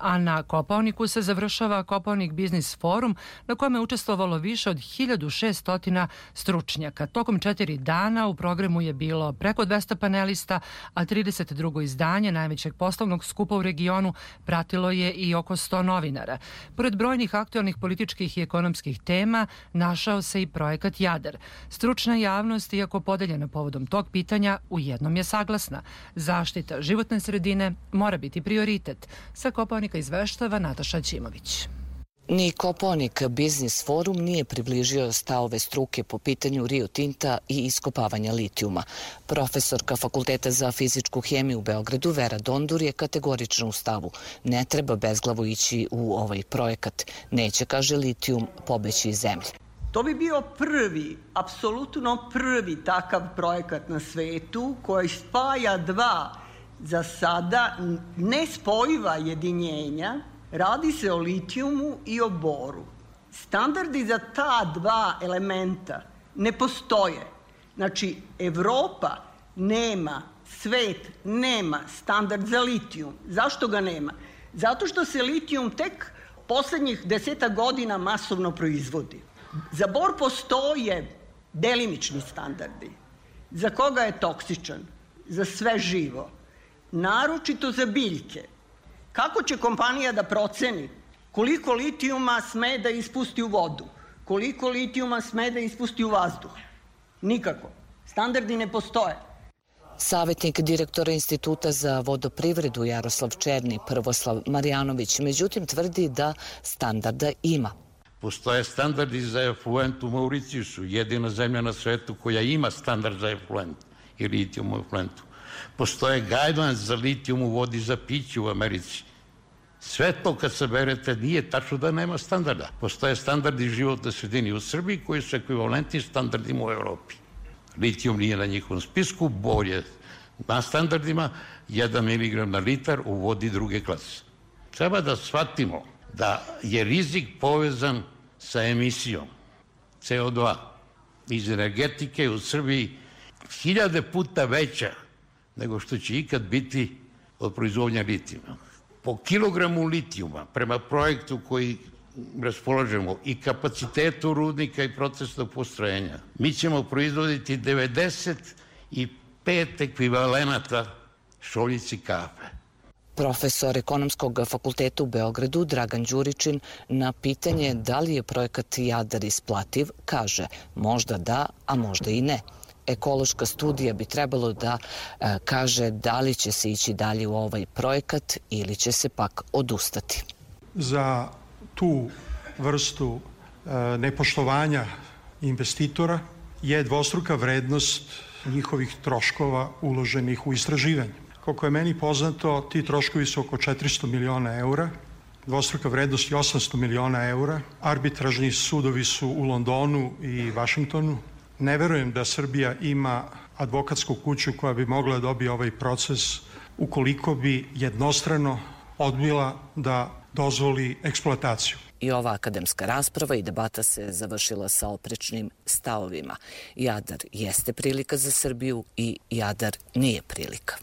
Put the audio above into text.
A na Kopaoniku se završava Kopaonik Biznis forum na kojem je učestvovalo više od 1600 stručnjaka. Tokom 4 dana u programu je bilo preko 200 panelista, a 32. izdanje najvećeg poslovnog skupa u regionu pratilo je i oko 100 novinara. Pored brojnih aktualnih političkih i ekonomskih tema, našao se i projekat Jadar. Stručna javnost, iako podeljena povodom tog pitanja, u jednom je saglasna. Zaštita životne sredine mora biti prioritet. Sa Kopaonika izveštava Nataša Ćimović. Ni Kopaonik Biznis forum nije približio stavove struke po pitanju Rio Tinta i iskopavanja litijuma. Profesorka Fakulteta za fizičku hemiju u Beogradu Vera Dondur je kategorična u stavu. Ne treba bezglavo ići u ovaj projekat. Neće, kaže, litijum pobeći iz zemlje. To bi bio prvi, apsolutno prvi takav projekat na svetu koji spaja dva za sada nespojiva jedinjenja. Radi se o litijumu i o boru. Standardi za ta dva elementa ne postoje. Znači, Evropa nema, svet nema standard za litijum. Zašto ga nema? Zato što se litijum tek poslednjih 10 godina masovno proizvodi. Za bor postoje delimični standardi. Za koga je toksičan? Za sve živo. Naročito za biljke. Kako će kompanija da proceni koliko litijuma sme da ispusti u vodu? Koliko litijuma sme da ispusti u vazduh? Nikako. Standardi ne postoje. Savetnik direktora Instituta za vodoprivredu Jaroslav Černi, Prvoslav Marjanović, međutim tvrdi da standarda ima. Postoje standardi za efluent u Mauricijusu, jedina zemlja na svetu koja ima standard za efluent i litijum u efluentu. Postoje guidelines za litijum u vodi za piće u Americi. Sve to kad saberete nije tačno da nema standarda. Postoje standardi životne sredine u Srbiji koji su ekvivalentni standardima u Evropi. Litijum nije na njihovom spisku, bor je na standardima 1 mg na litar u vodi druge klase. Treba da shvatimo da je rizik povezan sa emisijom CO2 iz energetike u Srbiji 1000 puta veća nego što će ikad biti od proizvodnja litijuma. Po kilogramu litijuma, prema projektu koji raspolažemo i kapacitetu rudnika i procesnog postrojenja, mi ćemo proizvoditi 95 ekvivalenata šoljici kafe. Profesor Ekonomskog fakulteta u Beogradu Dragan Đuričin na pitanje da li je projekat Jadar isplativ kaže možda da, a možda i ne. Ekološka studija bi trebalo da kaže da li će se ići dalje u ovaj projekat ili će se pak odustati. Za tu vrstu nepoštovanja investitora je dvostruka vrednost njihovih troškova uloženih u istraživanje. Koliko je meni poznato, ti troškovi su oko 400 miliona eura, dvostruka vrednost je 800 miliona eura, arbitražni sudovi su u Londonu i Vašingtonu. Ne verujem da Srbija ima advokatsku kuću koja bi mogla da dobije ovaj proces ukoliko bi jednostrano odbila da dozvoli eksploataciju. I ova akademska rasprava i debata se završila sa oprečnim stavovima. Jadar jeste prilika za Srbiju i Jadar nije prilika.